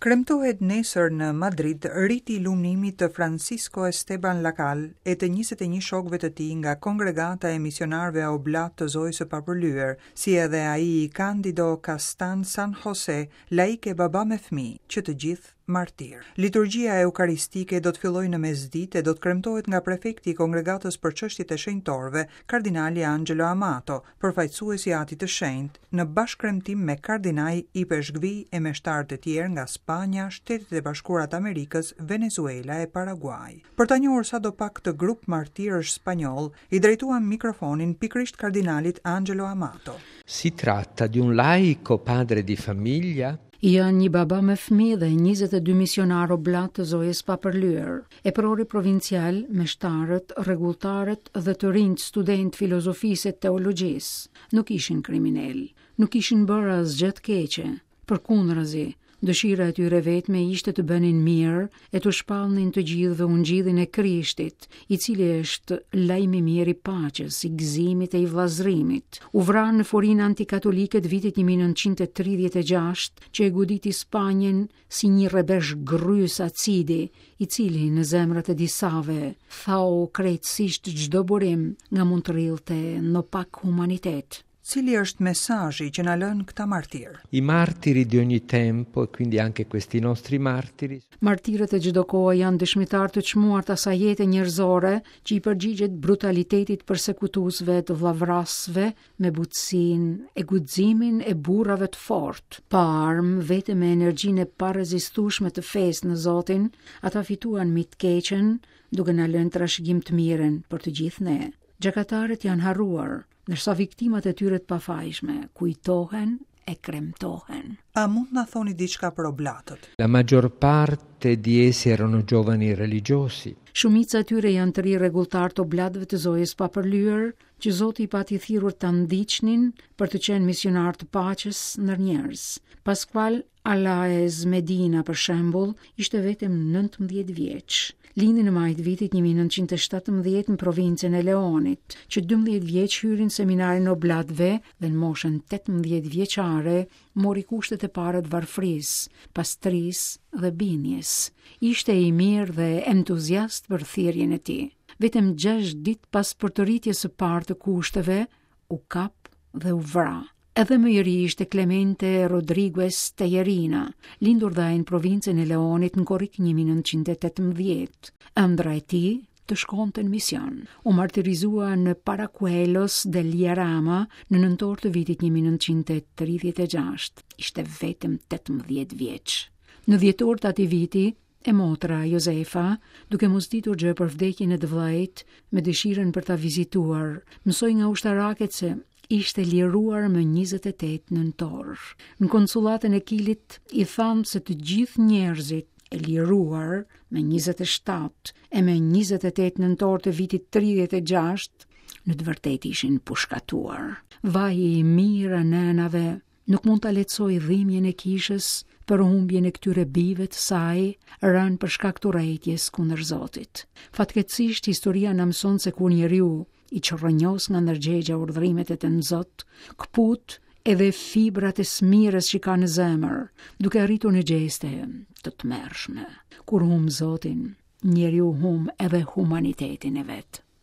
Kremtohet nesër në Madrid riti i lumnimit të Francisco Esteban Lacal e të 21 shokëve të tij nga Kongregata e Misionarëve Oblatë të Zojës së Papërlyer, si edhe ai i Candido Castan San Jose, laik e baba me fëmijë, që të gjithë martirë. Liturgjia eukaristike do të fillojë në mesditë e do të kremtohet nga prefekti i Kongregatës për Çështjet e Shenjtorëve, kardinali Angelo Amato, përfaqësues i Atit të Shenjtë, në bashkëkremtim me kardinaj, ipeshkvij e meshtarë të tjerë nga Spanja, Shtetet e Bashkuara të Amerikës, Venezuela e Paraguai. Për ta njohur sadopak këtë grup martirësh spanjollë, i drejtuam mikrofonin pikërisht kardinalit Angelo Amato. Si tratta di un laico padre di famiglia Janë një baba me fëmijë dhe 22 misionarë oblatë të Zojës Papërlyer. Eprori provincial, meshtarët, rregulltarët dhe të rinjtë studentë filozofisë e teologjisë, nuk ishin kriminelë, nuk kishin bërë asgjë të keqe. Përkundrazi, dëshira e tyre e vetme ishte të bënin mirë e t'u shpallnin të gjithëve ungjillin e Krishtit, i cili është lajm i mirë i paqes, i gëzimit e i vëllazërimit. U vranë në furinë antikatolike të vitit 1936, që e goditi Spanjën si një rrebesh grrysë acidi, i cili në zemrat e disave thau krejtësisht çdo burim nga mund të rridhte ndopak humanitet. Cili është mesazhi që na lënë këta martirë? I martiri di ogni tempo, e quindi anche questi nostri martiri. Martirët e çdo kohe janë dëshmitarë të çmuar të asaj jete njerëzore që i përgjigjet brutalitetit të persekutuesve të vëllavrasësve me butësinë e guximin e burrave të fortë. Pa armë, vetëm me energjinë e parezistueshme të fesë në Zotin, ata fituan mbi të keqen, duke na lënë trashëgim të mirën për të gjithë ne. Gjakatarët janë harruar, ndërsa viktimat e tyre të pafajshme kujtohen e kremtohen. A mund të na thoni diçka për oblatët? La maggior parte di essi erano giovani religiosi. Shumica e tyre janë të rinj rregulltarë të oblatëve të Zojës Papërlyer, që Zoti i pati thirrur ta ndiqnin për të qenë misionarë të paqes ndër njerëz. Pascual Alaez Medina, për shembull, ishte vetëm 19 vjeç. Lindi në maj të vitit 1917 në provincën e Leonit, që 12 vjeç hyri në seminarin e oblatëve dhe në moshën 18 vjeçare mori kushtet e para të varfërisë, pastrisë dhe bindjes. Ishte i mirë dhe entuziast për thirrjen e tij. Vetëm 6 ditë pas përtëritjes së parë të kushteve, u kap dhe u vra. Edhe më i ri ishte Clemente Rodriguez Tejerina, lindur dhe ai në provincën e Leonit në korrik 1918. Ëndrra e tij të shkonte në mision. U martirizua në Paracuelos del Jarama në nëntor të vitit 1936. Ishte vetëm 18 vjeç. Në dhjetor të atij viti, E motra, Josefa, duke mos ditur gjë për vdekjen e të vëllait, me dëshirën për ta vizituar, mësoi nga ushtarakët se ishte liruar më 28 nëntor. Në konsullatën e Kilit i thanë se të gjithë njerëzit e liruar me 27 e me 28 nëntor të vitit 36 në të vërtetë ishin pushkatuar. Vaji i mijëra nënave nuk mund ta lehtësojë dhimbjen e kishës për humbjen e këtyre bijve të saj, rënë për shkak të urrejtjes kundër Zotit. Fatkeqësisht, historia na mëson se kur njeriu i çrrënjos nga ndërgjegja urdhërimet e Tënzot, këput edhe fibrat e së mirës që ka në zemër, duke arritur në gjeste të tmerrshme. Kur humb Zotin, njeriu humb edhe humanitetin e vet.